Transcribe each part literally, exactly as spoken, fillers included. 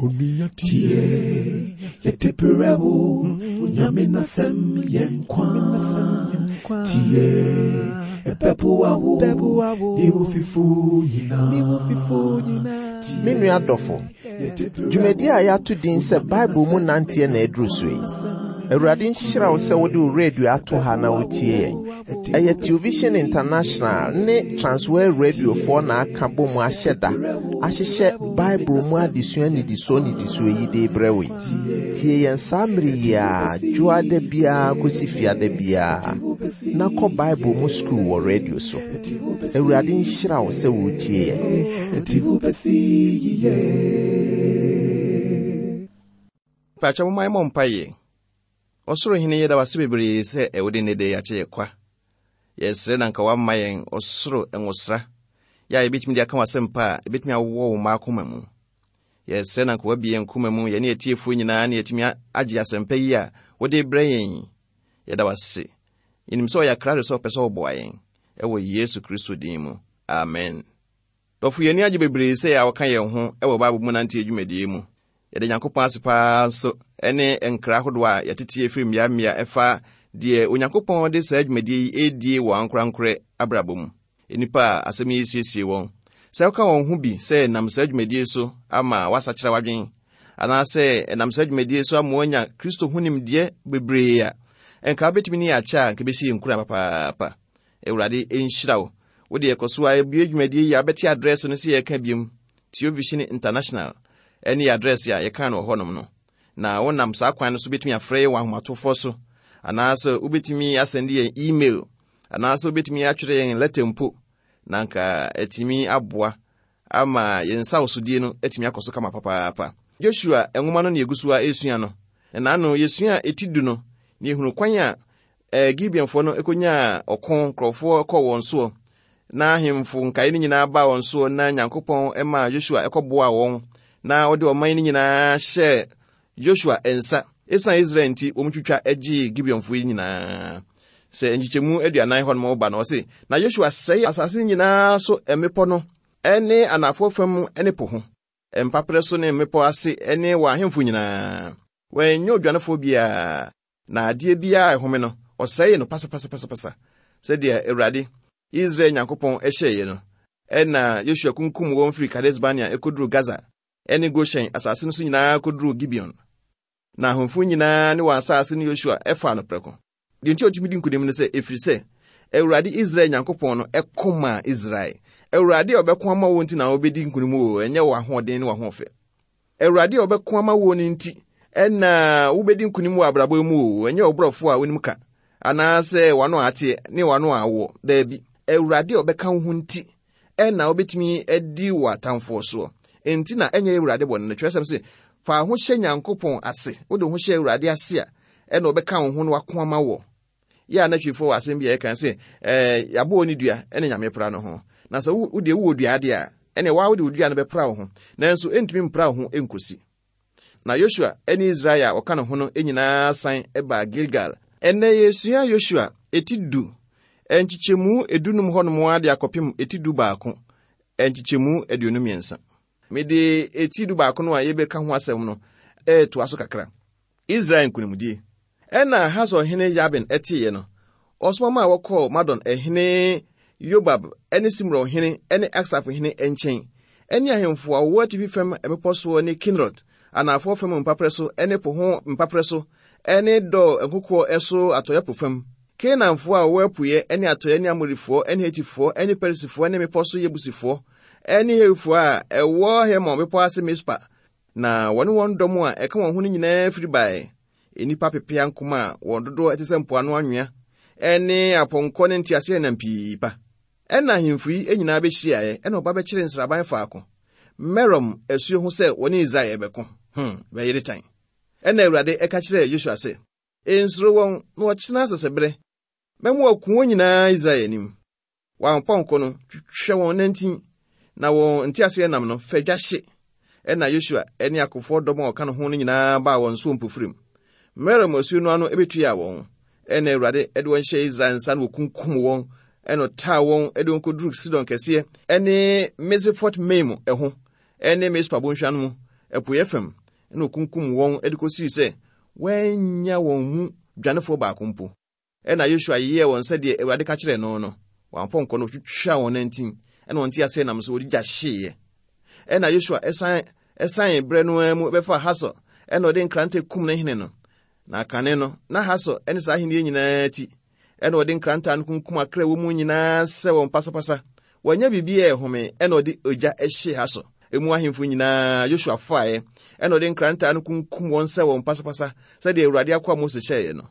Tie, yɛde brɛ wo, Nyame n'asɛm yɛ nkwa. Tie, ɛbɛboa wo, ne wo fifo nyinaa. Me nua dɔfo, dwumadi a yɛato din sɛ Bible mu nanteɛ na aduru so yi. Awurade nhyira wo sɛ wode wo radio ato ha na wotie yɛn. Ɛyɛ Television International ne Transworld Radiofoɔ na aka bɔ mu ahyɛ da ahyehyɛ Bible mu adesua nnidisoɔ nnidisoɔ yi de brɛ wo yi. Tie yɛn saa mmere yi a dwoada biara kɔsi fiada biara na kɔ Bible mu sukuu wɔ radio so. Awurade nhyira wo sɛ wotie yɛn. Ɛde wo bɛsi yiye. Pakyɛ, momma yɛmmɔ mpaeɛ. Ɔsoro Hene, yɛda wase bebree sɛ ɛwode ne de yɛakyɛ yɛ kwa. Yɛsrɛ na nka woama yɛn ɔsoro nwosra yɛ a yɛbɛtumi de aka w'asɛmpa a ɛbɛtumi awowɔ wo mma akoma mu. Yɛsrɛ na nka woabie yɛn koma mu, yɛne atiefoɔ nyinaa, ne yɛtumi agye asɛmpa yi a wode brɛ yɛn yi. Yɛda wase. Yɛnim sɛ ɔyɛ akrado sɛ ɔpɛ sɛ ɔboa yɛn, ɛwɔ Yesu Kristo din mu, amen. Dɔfo, yɛn ani agye bebree sɛ a wɔka yɛn ho ɛwɔ Bible mu nante adwumadie mu. Yɛde Nyankopɔn ase paa nso ne nkra ahodoɔ a yɛtete firi mmeammea ɛfa deɛ Onyankopɔn de saa adwumadie yi ɛredie wɔ ankorankorɛ abrabɔ mu. Nnipa a asɛm yi siesie wɔn sɛ woka wɔn ho bi sɛ nam saa dwumadie so ama woasakyerɛ w'adwen, anaasɛ ɛnam saa dwumadie so ama woanya Kristo ho nimdeɛ bebree a, ɛnka wobɛtumi ne yɛ akyɛ a, nka bɛsi yɛ nkura papaapa. Awurade nhyira wo. Wode ɛkɔ so a ebue dwumadie yi a, wobɛte address no sɛ yɛka biom, Television International ɛne yɛ address a yɛka no wɔ hɔnom no. Na wonam saa kwan no so bɛtumi afrɛ yɛ wɔ ahomatofoɔ so, anaasɛ wobɛtumi asend yɛn email, anaasɛ wobɛtumi atwerɛ yɛn letter mpo, na nka atumi aboa ama yɛn nsa wosodie no atumi akɔ so kama papaapa. Joshua nwoma no ne yɛgu so a ɛresua no, na ano yɛsua ɛti du no ne yɛhunu kwan a eh, Gibeonfoɔ no ɛkɔnyaa ɔko, nkurɔfoɔ kɔɔ wɔn soɔ na ahemfo nkaeɛ no nyinaa baa wɔn soɔ, na Nyankopɔn maa Joshua ɛkɔboaa wɔn na ɔde ɔman no nyinaa hyɛɛ Joshua nsa. Ɛsiane Israel nti, wɔn twitwa gyee Gibeonfoɔ yi nyinaa. Sɛ nkyekyɛmu aduanan hɔ nom ba no, ɔse na Joshua sɛe asase no nyinaa so, mmepɔ no ɛne anafoɔ fam ne po ho mpaperɛ so ne mmepɔ ase ne wɔ ahemfo nyinaa. Wɔanyɛ odwanefoɔ biara, na adeɛ biara a ɛhome no, ɔsɛee no pasapasapasapasa, sɛdeɛ Awurade Israel Nyankopɔn hyɛeɛ no. Ɛna Yosua kunkum wɔn firi Kades Barnea ɛkɔduru Gaza ɛne Goshen asase no so nyinaa kɔduru Gibeon. Na ahemfo nyinaa ne wɔn asase no, Yosua ɛfaa no prɛko. Deɛ nti a ɔtumi di nkonim no sɛ ɛfiri sɛ Awurade Israel Nyankopɔn no ɛko maa Israel. Awurade a ɔbɛko ama wo nti na wobɛdi nkonim o, ɛnyɛ wɔ ahoɔden ne w'ahoɔfɛ. Awurade a ɔbɛko ama wo no nti ɛna wobɛdi nkonim wɔ abrabɔ mu o, ɛnyɛ wo borɔfo a wonim ka anaasɛ w'ano a ateɛ ne w'ano a awoɔ. Daabi, Awurade a ɔbɛka wo ho nti ɛna wobɛtumi adi wɔ atamfoɔ soɔ. Enti na ɛnyɛ Awurade bɔne no. Twerɛsɛm sɛ fa ho hyɛ Nyankopɔn ase. Wode ho hyɛ Awurade ase a, ɛna ɔbɛka wo ho no wako ama wɔ. Yɛ a natwifoɔ wɔ asɛm bi a yɛka sɛ ɛɛ yɛabɔ wɔ ne dua ɛne Nyame pra no ho. Na sɛ wo deɛ wowɔ dua adeɛ a, ɛne waa wode wo dua no bɛpra wo ho, nanso ɛntumi mpra wo ho ɛnkosi. Na Yosua ne Israel a wɔka ne ho no nyinaa san baa Gilgal. Ɛnnɛ yɛsua Yosua eti du nkyekyɛmu edunum hɔnom ade akɔpem eti du baako nkyekyɛmu aduonu mmiɛnsa. Mede eti du baako no a yɛbɛka ho asɛm no ɛɛtoa so kakra. Israel nkonimdie. Ɛna Hasor hene Yabin ɛteeɛ no, ɔsoma maa wɔkɔɔ Madon ɛhene Yobab ne Simron hene ne Aksaf hene nkyɛn, ɛne ahemfo a wɔwɔ atifi fam mmepɔ soɔ ne Kinerot anafoɔ fam mpaperɛ so ne po ho mpaperɛ so ne Dɔ nkokoɔ so atɔeɛ po fam, Kanaanfoɔ a wɔwɔ apueɛ ne atɔeɛ ne Amorifoɔ ne Hetifoɔ ne Perisifoɔ ne mmepɔ so Yebusifoɔ ne Hewifoɔ a ɛwɔ Hermon bepɔ ase Mispa. Na wɔne wɔn dɔm a ɛka wɔn ho no nyinaa firi baeɛ, nnipa pepea nkoma a wɔn dodoɔ te sɛ mpoano anwea, ne apɔnkɔ ne nteaseɛnam pii pa. Ɛna ahemfo yi nyinaa bɛhyiaeɛ, ɛna ɔba bɛkyerɛ nsraban faako Merom asuo ho sɛ wɔne Israel bɛko. hmm bɛyere tan. Ɛna Awurade ɛka kyerɛɛ Yosua sɛ, "Nsuro wɔn, na wɔkyena asɛsɛberɛ mɛma wɔako wɔn nyinaa Israel anim. Wɔn apɔnkɔ no, twitwa wɔn nantin, na wɔn nteaseɛnam no, fa dwa hye." Ɛna Yosua ne akofoɔ dɔm a ɔka ne ho no nyinaa baa wɔn so mpofirim Merom asuo no ano bɛtuaa wɔn. Ɛna Awurade de wɔn hyɛɛ Israel nsa no, wɔkunkum wɔn, ɛna ɔtaa wɔn de wɔn kɔduru Sidon kɛseɛ ɛne Misrefot Maim ɛho ɛne Mispa bɔnhwa no mu. apueeɛ fam, ɛna okunkum wɔn de kosii sɛ wɔannya wɔn mu dwanefoɔ baako mpo. Ɛna Yosua yɛɛ wɔn sɛdeɛ Awurade ka kyerɛɛ no no. Wɔn apɔnkɔ no wɔtwitwaa wɔn nantin, ɛna wɔn nteaseɛnam nso wɔde gya hyeeɛ. Ɛna Yosua ɛsan ɛsan berɛ no ara mu bɛfaa Hasor, ɛna ɔde nkrantɛ kum ne hene no. Na kane no, na Hasor ne saa ahenni nyinaa ti. Ɛna ɔde nkrantɛ no kunkum akra wɔ mu nyinaa sɛ wɔn pasapasa. Wɔanya biribi a ɛhome, ɛna ɔde ogya hyee Hasor. Emu ahemfo nyinaa Yosua faeɛ, ɛna ɔde nkrantɛ no kunkum wɔn sɛ wɔn pasapasa, sɛdeɛ Awurade akoa Mose hyɛeɛ no.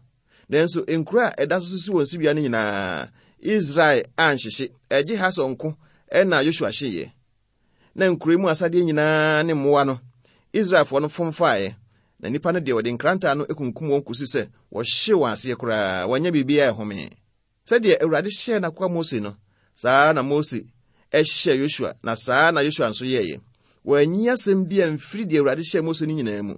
Nanso nkuro a ɛda so sisi wɔn sibea no nyinaa, Israel anhyehye, ɛgye Hasor nko ɛna Yosua hyeeɛ. Na nkuro mu asadeɛ nyinaa ne mmoa no, Israelfoɔ no fom faeɛ. Na nnipa no deɛ wɔde nkrantɛ no kunkum wɔn kɔsi sɛ wɔhyee wɔn aseɛ koraa, wɔanya biribiara ɛhome. Sɛdeɛ Awurade hyɛɛ n'akoa Mose no, saa na Mose ɛhyɛɛ Yosua, na saa na Yosua nso yɛeɛ. Wɔanyi asɛm bi amfiri deɛ Awurade hyɛɛ Mose no nyinaa mu.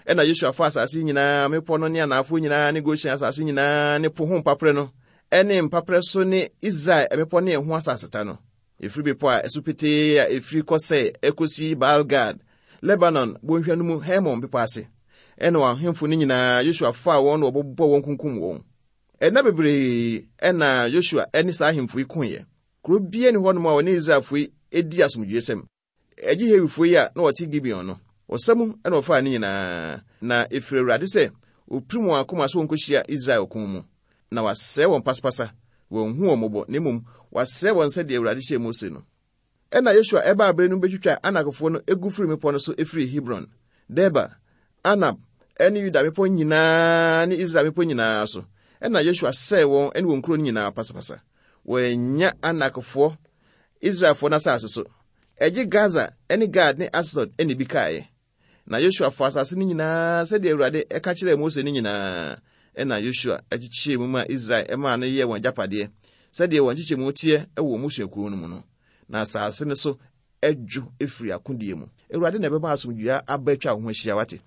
Ɛna Yosua fa asase nyinaa, mmepɔ no ne anaafoɔ nyinaa ne Goshen asase nyinaa ne po ho mpaperɛ no, ɛne mpaperɛ so ne Israel mmepɔ ne ɛho asaseta no. Ɛfiri bepɔ a ɛso petee a ɛfiri kɔ sɛ ɛkɔsi Baal-Gad, Lebanon bɔnhwa no mu Hermon bepɔ ase. Ɛna wɔn ahemfo no nyinaa Yosua faa wɔn na wɔbobɔ wɔn kunkum wɔn. Ɛna bebree ɛna Yosua ɛne saa ahemfo yi koeɛ. Kuro biara ni hɔnom a wɔne Israelfoɔ yi edi asomdwoesɛm. Ɛgye Hewifoɔ yi a na wɔte Gibeon no, ɔsa mu ɛna wɔfaa ne nyinaa. Na ɛfiri Awurade sɛ opirim wɔn akoma so wɔnkɔhyia Israel ɔko mu. Na wasɛe wɔn pasapasa, wɔnhu wɔn mmɔbɔ, na mmom wasɛe wɔn sɛdeɛ Awurade hyɛɛ Mose no. Ɛna Yosua ɛbaa abere no bɛtwitwa Anakfoɔ no egu firi mmepɔ no so efiri Hebron, Debir, Anab, ɛne Yuda mmepɔ nyinaa ne Israel mmepɔ nyinaa so. Ɛna Yosua sɛe wɔn ne wɔn nkuro no nyinaa pasapasa. Wɔanya Anakfoɔ Israelfoɔ no asase so. Ɛgye Gaza ne Gad ne Asdod ne bi kaeɛ. Na Yosua fa asase no nyinaa sɛdeɛ Awurade ɛka kyerɛɛ Mose no nyinaa. Ɛna Yosua akyekyɛɛ mu maa Israel ɛmaa no yɛɛ wɔn agyapadeɛ sɛdeɛ wɔn nkyekyɛmu teɛ wɔ wɔn mmusuakuo no mu no. Na asase no so adwo efiri akodie mu. Awurade na ɛbɛma asomdwoeɛ aba atwa wo ho ahyia, wate.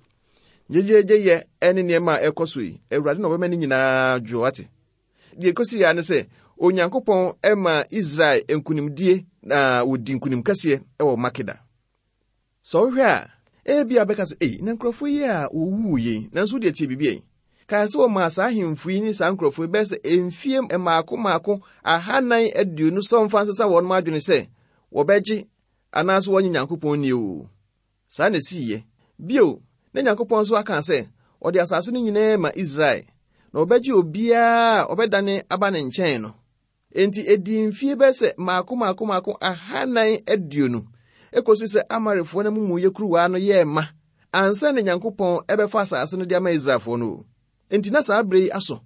Gyegyeegyeyɛ ne nneɛma a ɛkɔ so yi, Awurade na ɔbɛma ne nyinaa dwo, wate. Deɛ ɛkɔsi yɛ ne sɛ, Onyankopɔn ɛma Israel nkonimdie na wɔdi nkonim kɛseɛ wɔ Makeda. Sɛ wohwɛ a, ebia bɛka sɛ, ei, na nkurɔfoɔ yi a wɔwuu yi, nanso wodeɛ tie biribi yi. Kae sɛ wɔmaa saa ahemfo yi ne saa nkurɔfoɔ yi bɛyɛ sɛ mfie mmaako mmaako ahanan aduonu sɛ ɔmfa nsesa wɔn adwene sɛ wɔbɛgye anaasɛ wɔnye Nyankopɔn ni o. Saa na ɛsiiɛ. Bio, na Nyankopɔn nso aka sɛ ɔde asase no nyinaa ma Israel, na ɔbɛgye obiara a ɔbɛdane aba ne nkyɛn no. Enti ɛdii mfie bɛyɛ sɛ mmaako mmaako mmaako ahanan aduonu ekosi sɛ Amorifoɔ no amumuyɛ kuruwa no yɛɛ ma ansa na Nyankopɔn ɛbɛfa asase no de ama Israelfoɔ no o. Enti na saa bere yi aso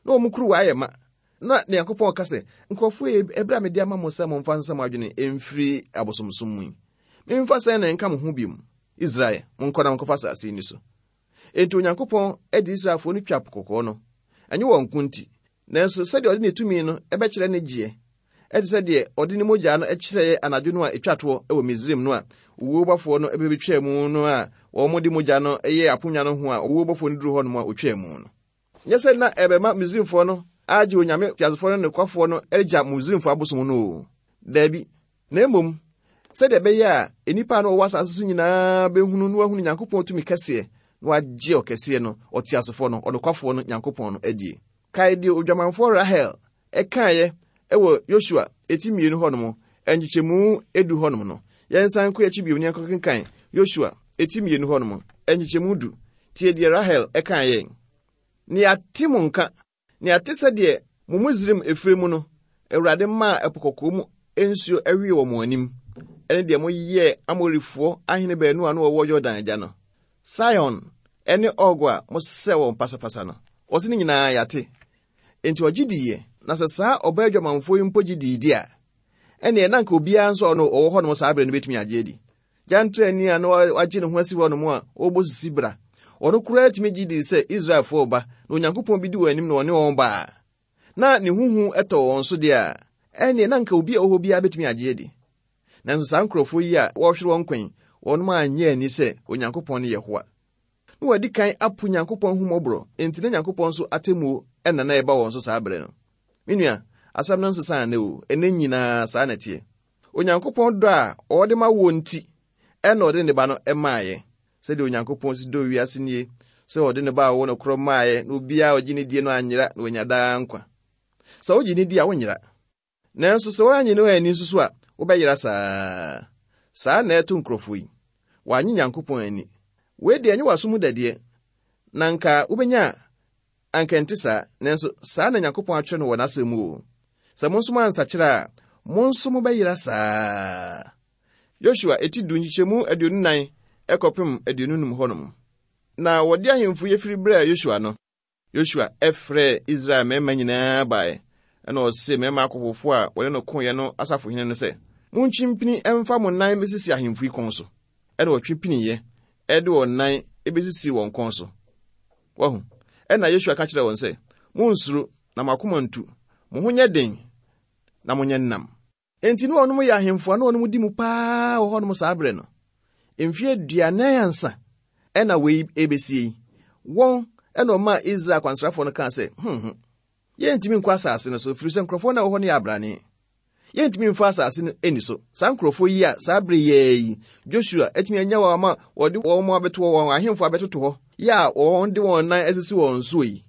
na wɔn kuruwa ayɛ ma. Na Nyankopɔn ka sɛ, nkurɔfoɔ yi, ɛberɛ a mede ama mo sɛ momfa nsa mo adwene mfiri abosomsom mu yi, memfa sɛn na ɛnka mo ho bio? Israel, monkɔ na monkɔfa asase yi ni so. Enti Onyankopɔn de Israelfoɔ no twa Po Kɔkɔɔ no. Ɛnyɛ wɔn nko nti, nanso sɛdeɛ ɔde ne tumi no ɛbɛkyerɛ ne gyeɛ, ɛte sɛ deɛ ɔde ne mogya no kyerɛɛ anadwo no a ɛtwa toɔ wɔ Misraim no a owuo bɔfoɔ no bɛbɛtwaa mu no a wɔn de mogya no yɛɛ aponnwa no ho a owuo bɔfoɔ no duru hɔ nom a ɔtwaa mu no. Nyɛ sɛ na ɛbɛma Misraimfoɔ no agye Onyame teasefoɔ no nokwafoɔ no agya Misraimfoɔ abosom no o. Daabi. Na mmom, sɛdeɛ ɛbɛyɛ a nnipa a na wɔwɔ asase so nyinaa bɛhunu na wɔahunu Nyankopɔn tumi kɛseɛ na wɔagye ɔkɛseɛ no, ɔteasefoɔ no, ɔnokwafoɔ no, Nyankopɔn no adie. Kae deɛ odwamanfoɔ Rahel ɛkaeɛ ɛwɔ Yosua eti mmienu hɔnom, nkyekyɛmu edu hɔnom no. Yɛnsan nkɔ akyi bio ne yɛnkɔkenkan Yosua eti mmienu hɔnom, nkyekyɛmu du. Tie deɛ Rahel ɛkaeɛ. Ne yɛate mo nka, ne yɛate sɛdeɛ mo Misraim efire mu no, Awurade maa ɛpo kɔkɔɔ mu nsuo ɛwee wɔ mo anim, ɛne deɛ moyɛɛ Amorifoɔ ahene baanu a na wɔwɔ Yordan agya no, Sihon ɛne Og a mosɛe wɔn pasapasa no. Ɔse ne nyinaa yɛate. Enti ɔgye diiɛ, na sɛ saa ɔbaa adwamanfoɔ yi mpo gye dii di a, ɛneɛ na anka obiara nso a ɔno ɔwɔ hɔnom saa berɛ no bɛtumi agye adi. Gyantrani a na wagye ne ho asi hɔnom a ɔrebɔ sisi bra, ɔno koraa tumi gye dii sɛ Israelfoɔ ba, na Onyankopɔn bi di wɔn anim na ɔne wɔn ba a, na ne huhu ɛtɔ wɔn so deɛ a, ɛneɛ na anka obi a ɔwɔ hɔ biara bɛtumi agye adi. Nanso saa nkurɔfoɔ yi a wɔrehwere wɔn kwan, wɔnom anyɛ ani sɛ Onyankopɔn no yɛ hoa. Na wɔadi kan apo Nyankopɔn ahummɔborɔ, enti na Nyankopɔn nso atemmuo ɛna na ɛba wɔn so saa berɛ no. Me nua, asɛm no nsesa nnɛ o, ɛnɛ nyinaa saa na ɛteɛ. Onyankopɔn dɔ a ɔde ma wo nti, ɛna ɔde ne ba no ɛmaeɛ. Sɛdeɛ Onyankopɔn si dɔ wiase nie, sɛ ɔde ne ba a ɔwɔ no korɔ maaeɛ na obiara a ɔgye ne die no anyera na wanya daa nkwa. Sɛ wogye ne di a wonyera. Nanso sɛ woannye no anni nso so a, wobɛyera saa. Saa na ɛto nkurɔfoɔ yi. Wɔannye Nyankopɔn ani. Wei deɛ ɛnyɛ w'aso mu dadeɛ. Na nka wobɛnya a, anka ɛnte saa. Nanso saa na Nyankopɔn atwerɛ no wɔ n'asɛm mu o. Sɛ mo nso moansakyera a, mo nso mobɛyera saa. Yosua eti du nkyekyɛmu aduonu nan ɛkɔpem aduonu num hɔnom. Na wɔde ahemfo yi firi brɛɛ Yosua no. Yosua ɛfrɛɛ Israel mmarima nyinaa baeɛ. Ɛna ɔse mmarima akofofo a wɔne no koeɛ no asafohene no sɛ, montwe mpini ɛmfa mo nan mmesisi ahemfo yi kɔn so. Ɛna wɔtwe piniiɛ ɛde wɔn nan ebesisi wɔn kɔn so. Wahu. Ɛna Yosua ka kyerɛɛ wɔn sɛ, monsuro na mo akoma ntu. Mo ho nyɛ den na monyɛ nnam. Enti ne wɔnom yɛ ahemfo a na wɔnom di mu paa wɔ hɔnom saa berɛ no. Mfeɛ aduanan ansa ɛna wei ebesie yi. Wɔn ɛna ɔmaa Israel akwansrafoɔ no kaa sɛ, hmm hmm, yɛntumi nkɔ asase no so, ɛfiri sɛ nkurɔfoɔ no a ɛwɔ hɔ no yɛ abrane. Yɛntumi mfa asase no ani so. Saa nkurɔfoɔ yi a saa bere yɛɛ yi, Joshua atumi anya wɔn ama wɔde wɔn abɛto wɔn ahemfo abɛtoto hɔ, yɛ a wɔn de wɔn nan asisi wɔn soɔ yi.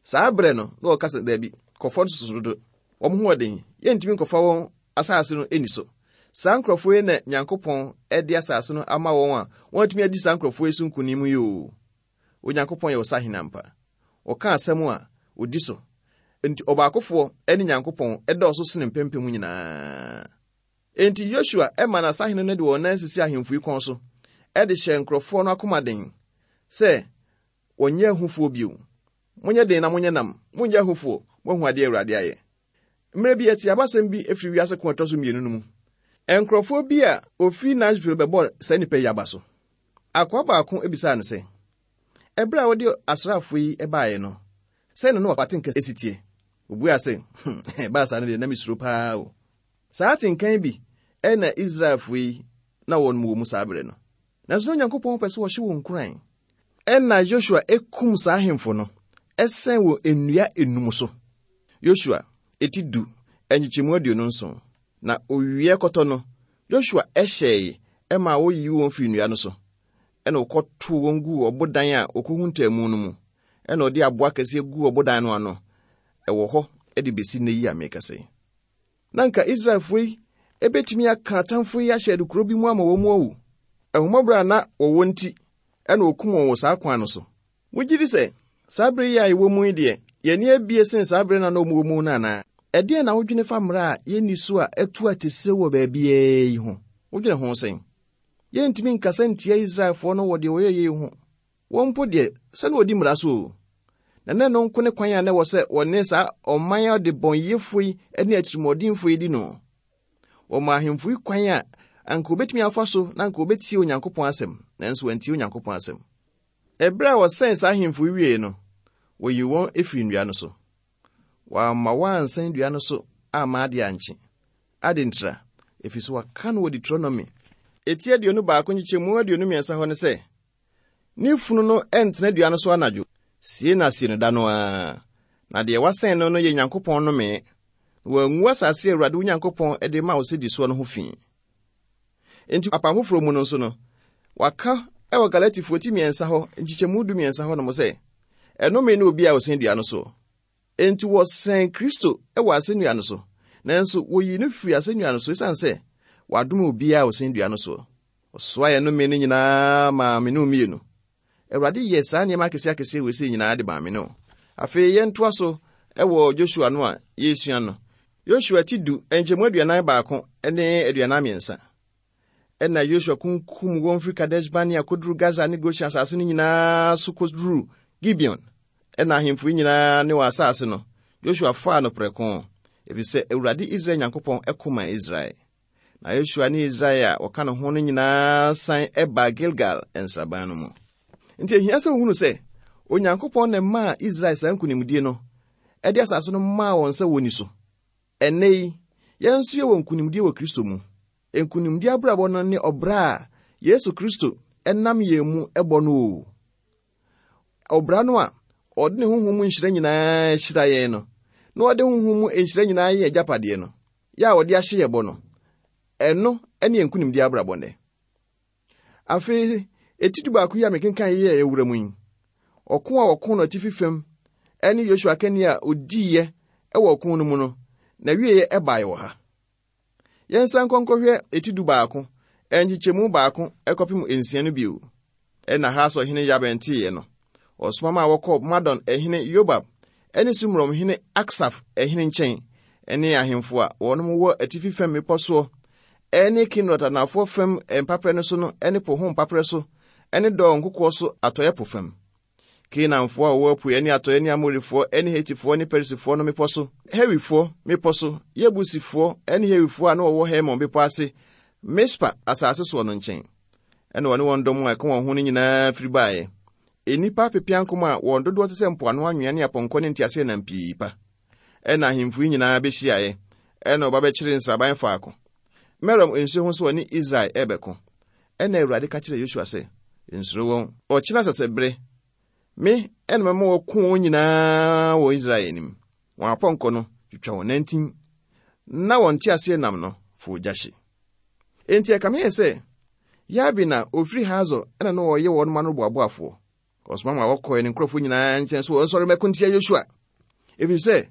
Saa berɛ no, na wɔka sɛ, daabi, kɔfoɔ no soso dodo. Wɔn ho ɔden, yɛntumi nkɔfa wɔn asase no ani so. Saa nkurɔfoɔ yi na Nyankopɔn de asase no ama wɔn a wɔatumi adi saa nkurɔfoɔ yi so nkonim yi o. Onyankopɔn yɛ ɔsahene ampa. Ɔka asɛm a odi so. Enti ɔbaakofoɔ ne Nyankopɔn ɛdɔɔso sene mpempem nyinaa. Enti Yosua ɛma n'asahene no de wɔn nan sisi ahemfo yi kɔn so, ɛde hyɛ nkurɔfoɔ no akoma den sɛ wɔnyɛ ahufoɔ bio. Monyɛ den na monyɛ nam, monyɛ ahufoɔ, moahu adeɛ Awurade ayɛ. Mmerɛ bi yɛte abasɛm bi efiri wiase ko a ɛtɔ so mmienu no mu. Nkurɔfoɔ bi a ofiri Nashville bɛbɔ saa nnipa yi aba so. Akoa baako ebisaa no sɛ, ɛberɛ a wɔde asraafoɔ yi baeɛ no, sɛn na na wɔate esi tie? Obua sɛ, ɛbaa saa no deɛ na mesuro paa o. Saa atenkan bi ɛna Israelfoɔ yi na wɔn wɔ mu saa berɛ no. Nanso na Onyankopɔn pɛ sɛ wɔhyɛ wɔn nkuran. Ɛna Joshua ekum saa ahemfo no, ɛsɛn wɔ nnua enum so. Joshua eti du nkyekyɛmu aduonu nson. Na owie kɔtɔ no, Joshua ɛhyɛe ɛma woyi wɔn firi nnua no so. Ɛna ɔkɔtoo wɔn guu ɔbodan a okohuntaa mu no mu. Ɛna ɔde aboa kɛseɛ guu ɔbodan no ano. Ɛwɔ hɔ ɛde besi nnɛ yi a mekasa yi. Na nka Israelfoɔ yi ebetumi aka atamfoɔ yi ahyɛ adukuro bi mu ama wɔn mu awu. Ahummɔborɔ a na wɔwɔ nti, ɛna okum wɔn wɔ saa kwan no so. Wogye di sɛ saa bere yi a yɛwɔ mu yi deɛ, yɛn ani abie sen saa bere na na wɔn wɔ mu no anaa? Ɛdeɛn na wodwene fa mmara a yɛnni so a ɛtu atese wɔ baabiara yi ho? Wodwene ho sɛn? Yɛntumi nkasa ntia Israelfoɔ no wɔ deɛ wɔyɛ yi ho. Wɔn mpo deɛ, sɛne wɔdi mmara so o. Na na ɛno nko ne kwan a na ɛwɔ sɛ wɔne saa ɔman a ɔdebɔneyɛfoɔ yi ne atirimuɔdenfoɔ yi di no. Wɔma ahemfo yi kwan a anka wɔbɛtumi afa so na anka wɔbɛtie Onyankopɔn asɛm, nanso wɔantie Onyankopɔn asɛm. Ɛberɛ a wɔsɛn saa ahemfo yi wie no, wɔyii wɔn efiri nnua no so. Wɔamma wɔansan dua no so amma ade ankye. Ade ntira, ɛfiri sɛ wɔaka no wɔ Deuteronomy eti aduonu baako nkyekyɛmu aduonu mmiɛnsa hɔ ne sɛ, ne funu no ɛntena dua no so anadwo, sie na sie no da no ara. Na deɛ wasɛn no no yɛ Nyankopɔn nnome, na wangu asase a Awurade wo Nyankopɔn de ma wo sɛ di soɔ no ho fi. Enti apam foforɔ mu no nso no, waka ɛwɔ Galatifoɔ ti mmiɛnsa hɔ, nkyekyɛmu du mmiɛnsa hɔ nom sɛ, ɛnome ne obi a ɔsɛn dua no so. Enti wɔsɛn Kristo ɛwɔ asɛnnua no so, nanso woyii no firi asɛnnua no so esiane sɛ wadome obiara a ɔsɛn dua no so. Ɔsoa yɛn nnome no nyinaa maa me ne wo mmienu. Awurade yɛ saa nneɛma akɛseɛ akɛseɛ wɔ esi nyinaa de maa me ne wo. Afei yɛntoa so ɛwɔ Joshua no a yɛresua no. Joshua ti du nkyɛmu aduanan baako ne aduanan mmiɛnsa. Ɛna Joshua kunkum wɔn firi Kadesh Barnea kɔduru Gaza ne Goshen asase no nyinaa so kɔduru Gibeon. Ɛna ahemfo yi nyinaa ne wɔn asase no, Joshua faa no prɛko, ɛfiri sɛ Awurade Israel Nyankopɔn ɛko maa Israel. Na Joshua ne Israel a wɔka ne ho no nyinaa san ɛbaa Gilgal nsraban no mu. Nti ehia sɛ wohunu sɛ Onyankopɔn na ɛmaa Israel saa nkonimdie no, ɛde asase no maa wɔn sɛ wɔni so. Ɛnnɛ yi, yɛn nso yɛwɔ nkonimdie wɔ Kristo mu. Nkonimdie abrabɔ no ne ɔbra a Yesu Kristo ɛnam yɛn mu ɛbɔ no o. Ɔbra no a ɔde ne honhom mu nhyira nyinaa hyira yɛn no, na ɔde honhom mu nhyira nyinaa yɛ agyapadeɛ no, yɛ a ɔde ahyɛ yɛ bɔ no, ɛno ɛne nkonimdie abrabɔ nnɛ. Afei, Eti du baako yi a mekenkan yi a yɛwura mu yi, ɔko a wɔko no atifi fam ne Yosua akanni a odiiɛ wɔ ɔko no mu no, na wieɛ ɛbaeɛ wɔ ha. Yɛnsan nkɔ nkɔhwɛ eti du baako, nkyekyɛmu baako kɔpem nsia no bio. Ɛna Hasor hene Yabin teeɛ no, ɔsoma ma wɔkɔɔ Madon hene Yobab ne Simrom hene Aksaf hene nkyɛn ne ahemfo a wɔnom wɔ atifi fam mmepɔ soɔ ne Kinerot anafoɔ fam mpaperɛ no so no ne po ho mpaperɛ so ne Dor nkokoɔ so atɔeɛ po fam. Kanaanfoɔ a wɔwɔ apueɛ ne atɔeɛ ne Amorifoɔ ne Hetifoɔ ne Perisifoɔ no mmepɔ so, Hewifoɔ mmepɔ so, Yebusifoɔ ne Hewifoɔ a na wɔwɔ Hermon bepɔ ase, Mispa asase soɔ no nkyɛn. Ɛna wɔne wɔn dɔm a ɛka wɔn ho no nyinaa firi baeɛ. Nnipa apepeankom a wɔn dodoɔ te sɛ mpoano anwea ne apɔnkɔ ne nteaseɛnam pii pa. Ɛna ahemfo yi nyinaa bɛhyiaeɛ, ɛna ɔba bɛkyeree nsraban faako. Merom nsuo ho so wɔne Israel ɛrebɛko. Ɛna Awurade ka kyerɛɛ Yosua sɛ, nsuro wɔn. Ɔkyena sɛsɛbere, me ɛna mɛma wɔko wɔn nyinaa wɔ Israel anim. Wɔn apɔnkɔ no twitwa wɔn nantin, na wɔn nteaseɛnam no fo ogya hye. Enti ɛkame yɛ sɛ, Yabin a ofiri Hasor ɛna na ɔyɛ wɔn ma no boaboafoɔ. Ɔsoma ma wɔkɔɛ ne nkurɔfoɔ nyinaa nkyɛn so wɔnsɔre mmɛko ntia Yosua. Ɛfiri sɛ,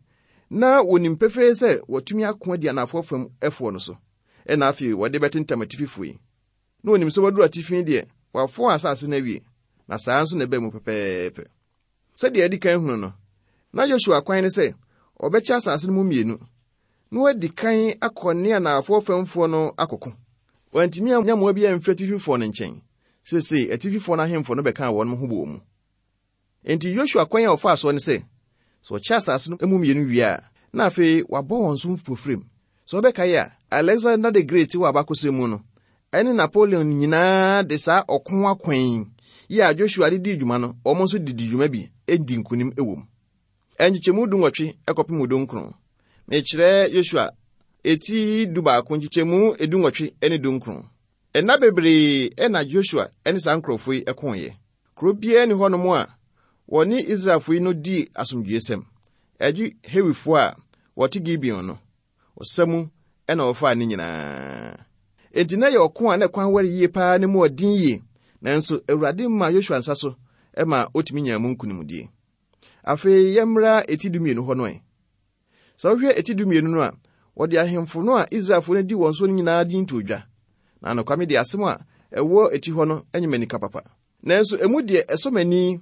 na wɔnim pefee sɛ wɔatumi ako adi anafoɔ fam ɛfoɔ no so. Ɛna afei wɔde bɛtentam atififoɔ yi. Na wɔnim sɛ wɔaduru atifi deɛ, wɔafoɔ asase no awie. Na saa nso na ɛbaa mu pɛpɛɛpɛ. Sɛdeɛ adi kan hunu no, na Yosua kwan ne sɛ ɔbɛkyɛ asase no mu mmienu, na wadi kan akɔ ne anafoɔ famfoɔ no akɔko. Wantumi anya mmoa bi amfiri atififoɔ no nkyɛn. Seesei atififoɔ no ahemfo no bɛkaa wɔn ho bɔɔ mu. Enti Yosua kwan a ɔfaa soɔ ne sɛ, sɛ ɔkyɛ asase no mu mmienu wie a, na afei wabɔ wɔn so mpofirim. Sɛ wɔbɛkae a, Alexander the Great wɔ abakɔsɛm mu no, ɛne Napoleon nyinaa de saa ɔko akwan yi a Joshua de dii dwuma no, wɔn nso de di dwuma bi di nkonim wɔ mu. Nkyekyɛmu du nwɔtwe kɔpem du nkron. Mekyerɛ Yosua eti du baako nkyekyɛmu edu nwɔtwe ne du nkron. Nna bebree na Joshua ne saa nkurɔfoɔ yi koeɛ. Kuro biara ni hɔnom a wɔne Israelfoɔ yi no dii asomdwoesɛm. Ɛgye Hewifoɔ a wɔte Gibeon no. Ɔsa mu ɛna wɔfaa ne nyinaa. Enti na yɛ ɔko a na kwan ware yie paa ne mu ɔden yie. Nanso Awurade maa Yosua nsa so ma otumi nyaa mu nkonimdie. Afei yɛmmra eti du mmienu hɔ no ɛ. Sɛ wohwɛ eti du mmienu no a, wɔde ahemfo no a Israelfoɔ no di wɔn so no nyinaa din to dwa. Na nokwame de asɛm a ɛwɔ eti hɔ no nyɛ m'anika papa. Nanso emu deɛ ɛsɔ m'ani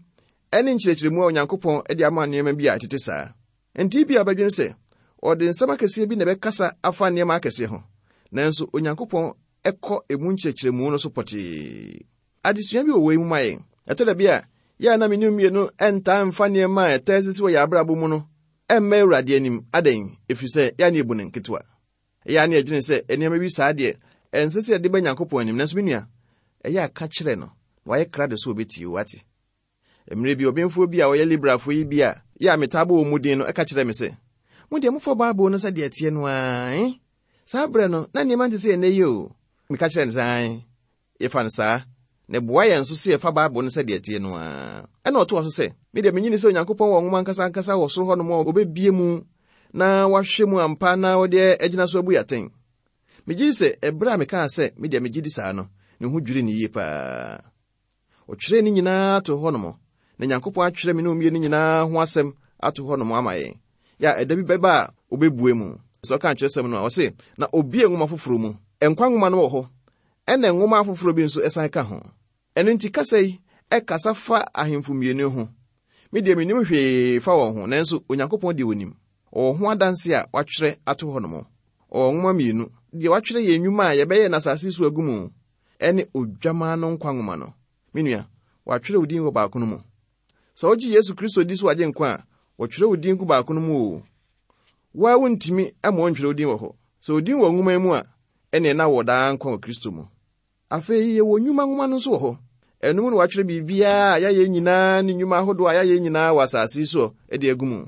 ne nkyerɛkyerɛmu a Onyankopɔn de ama nneɛma bi a ɛtete saa. Enti bi a bɛdwene sɛ ɔde nsɛm akɛseɛ bi na ɛbɛkasa afa nneɛma akɛseɛ ho. Nanso Onyankopɔn ɛkɔ emu nkyerɛkyerɛmu no so pɔtee. Adesua bi wɔ wei mu ma yɛn. Ɛtɔ da bi a, yɛ a na me ne mmienu ɛntaa mfa nneɛma a ɛtaa sisi wɔ yɛn abrabɔ mu no ɛmma Awurade anim. Adɛn? Ɛfiri sɛ yɛ a ne yɛbu no nketewa. Ɛyɛ a ne yɛdwene sɛ nneɛma bi saa deɛ ɛnsɛ sɛ yɛde ba Nyankopɔn anim. Nanso me nua, ɛyɛ a ka kyerɛ no na wayɛ krado sɛ obɛtie wo ate. Mmerɛ bi ɔbenfoɔ bi a ɔyɛ liberalfoɔ yi bi a yɛ a metaa bɔ wɔn mu din no ɛka kyerɛ me sɛ, mo deɛ mofa Bible no sɛdeɛ ɛteɛ no ara, eh? Saa berɛ no, na nneɛma nte sɛ ɛnnɛ yi o. Meka kyerɛ no sɛ, ae, yɛfa no saa. Na ɛboa yɛn nso sɛ yɛfa Bible no sɛdeɛ ɛteɛ no ara. Ɛna ɔtoa so sɛ, me deɛ menyini sɛ Onyankopɔn wɔ nwoma ankasa ankasa wɔ soro hɔnom a ɔbɛbie mu na wahwɛ mu ampa na ɔde agyina so abu yɛn atɛn. Megye di sɛ ɛberɛ a mekaa sɛ me deɛ megye di saa no, ne ho dwiri ne yie paa. Ɔtwerɛɛ ne nyinaa to hɔnom, na Nyankopɔn atwerɛ me ne mmienu nyinaa ho asɛm ato hɔnom ama yɛn. Yɛ a ɛda bi bɛba a obɛbue mu. Sɛ ɔka kyerɛsɛm no a, ɔse, na obie nwoma foforɔ mu. Nkwa nwoma no wɔ hɔ, ɛna nwoma afoforɔ bi nso ɛsan ka ho. Ɛno nti kasa yi ɛkasa fa ahemfo mmienu ho. Me deɛ mennim hwee fa wɔn ho, nanso Onyankopɔn deɛ onim. Ɔwɔ ho adanse a watwerɛ ato hɔnom. Ɔwɔ nwoma mmienu. Deɛ watwerɛ yɛn nnwuma a yɛbɛyɛ n'asase so agu mu ɛne odwamaa no nkwa nwoma no. Me nua, watwerɛ wo din wɔ baako no mu. Sɛ wogye Yesu Kristo di so wagye nkwa a, wɔtwerɛ wo din gu baako no mu o. Wo a wontumi ama wɔntwerɛ wo din wɔ hɔ. Sɛ wo din wɔ nwoma yi mu a, ɛneɛ na wɔ daa nkwa wɔ Kristo mu. Afei yɛwɔ nnwuma nwoma no nso wɔ hɔ. Ɛno mu na wɔatwerɛ biribiara a yɛayɛ nyinaa ne nnwuma ahodoɔ a yɛayɛ nyinaa wɔ asase yi soɔ de agu mu.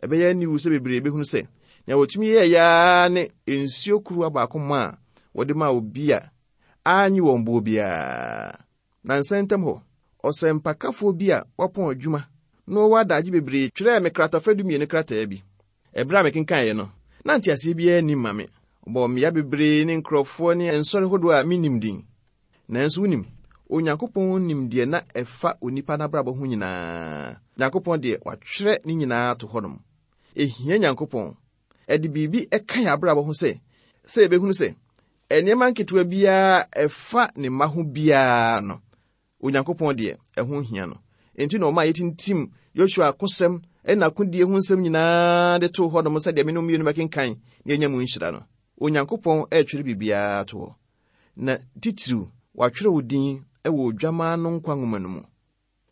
Ɛbɛyɛ aniwu sɛ bebree bɛhunu sɛ nea wɔtumi yɛɛ yaa ne nsuo kuruwa baako ma a wɔde maa obi a annye wɔn boɔ biara. Na nsa ntam hɔ, ɔsɛmpakafoɔ bi a wapɔn adwuma na ɔwɔ adagye bebree twerɛɛ me kratafa dumienu krataa bi. Ɛberɛ a mekenkaeɛ no, na nteaseɛ biara nnim ma me. Ɔbɔɔ mmea bebree ne nkurɔfoɔ ne nsɔre hodoɔ a mennim din. Nanso wonim, Onyankopɔn nim deɛ na ɛfa onipa n'abrabɔ ho nyinaa. Nyankopɔn deɛ, watwerɛ ne nyinaa to hɔnom. Ehia Nyankopɔn. Ɛde biribi ɛka yɛn abrabɔ ho sɛ, sɛ yɛbɛhunu sɛ, nneɛma nketewa biara ɛfa ne mma ho biara no, Onyankopɔn deɛ, ɛho hia no. Enti na ɔma yɛtintim Yosua akosɛm ɛna akodie ho nsɛm nyinaa de too hɔnom sɛdeɛ me no mmienu bɛkenkan na yɛnya mu nhyira no. Onyankopɔn ɛretwerɛ biribiara to hɔ. Na titiriw, watwerɛ wo din ɛwɔ Odwammaa no nkwa nwoma no mu.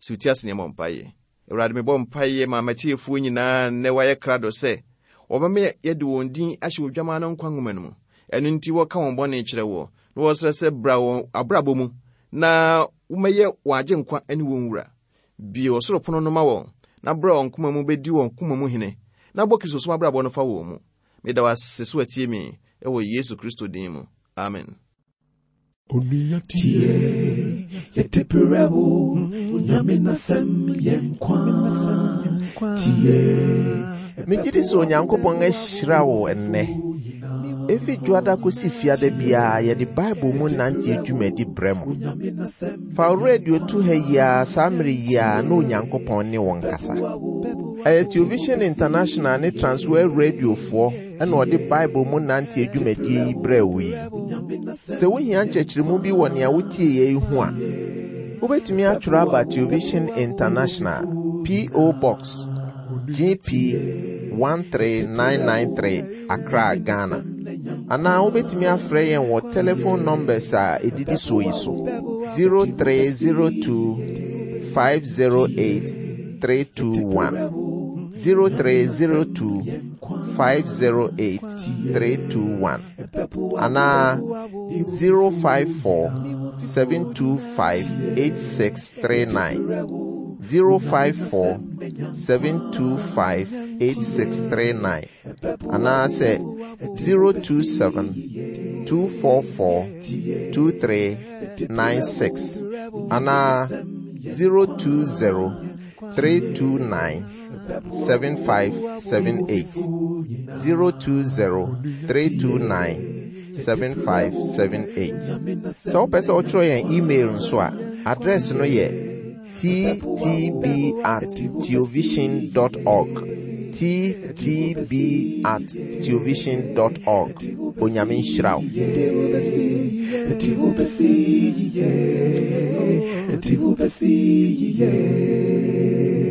Sɛ wotie ase nneɛma mpaeɛ. Awurade, mebɔ mpaeɛ ma m'atiefoɔ nyinaa nnɛ wɔayɛ krado sɛ wɔbɛma yɛde wɔn din ahyɛ Odwammaa no nkwa nwoma no mu. Ɛno nti wɔka wɔn bɔne kyerɛ wɔ na wɔsrɛ sɛ bra wɔn abrabɔ mu na womɛyɛ wɔn agyenkwa ne wɔn wura. Bue ɔsoro pono no ma wɔn na brɛ wɔn koma mu bɛdi wɔn koma mu hene na bɔ Kristosom abrabɔ no fa wɔn mu. Meda wo ase so atie me ɛwɔ Yesu Kristo din mu. Amen. Onua tie, yɛde brɛ wo, Onyame n'asɛm yɛ nkwa. Tie, Megye di sɛ Onyankopɔn ahyira wo ɛnnɛ. Efi dwoada kosi fiada biara yɛde Bible mu nante dwumadi brɛ mo. Fa wo radio to ha yi ara saa mmere yi ara na Onyankopɔn ne wo nkasa. Ɛyɛ Television International ne Transworld Radiofoɔ ɛna ɔde Bible mu nante dwumadie yi brɛ wo yi. Sɛ wohia nkyerɛkyerɛmu bi wɔ nea wotie yɛ yi ho a, wobɛtumi atwerɛ aba Television International, P O. Box G P one three nine nine three, Accra, Ghana. Anaa wobɛtumi afrɛ yɛn wɔ telephone numbers a ɛdidi soɔ yi so: zero three zero two five zero eight three two one, zero three zero two five zero eight three two one, anaa zero five four seven two five eight six three nine, zero five four seven two five eight six three nine, anaasɛ zero two seven two four four two three nine six, anaa zero two zero three two nine seven five seven eight, zero two zero three two nine seven five seven eight. Sɛ wopɛ sɛ wotwerɛ yɛn email nso a, address no yɛ T T B at theovision dot org, T T B at theovision dot org. Onyame nhyira wo. Yɛde wo bɛsi, yɛde wo bɛsi yie, yɛde wo bɛsi yie.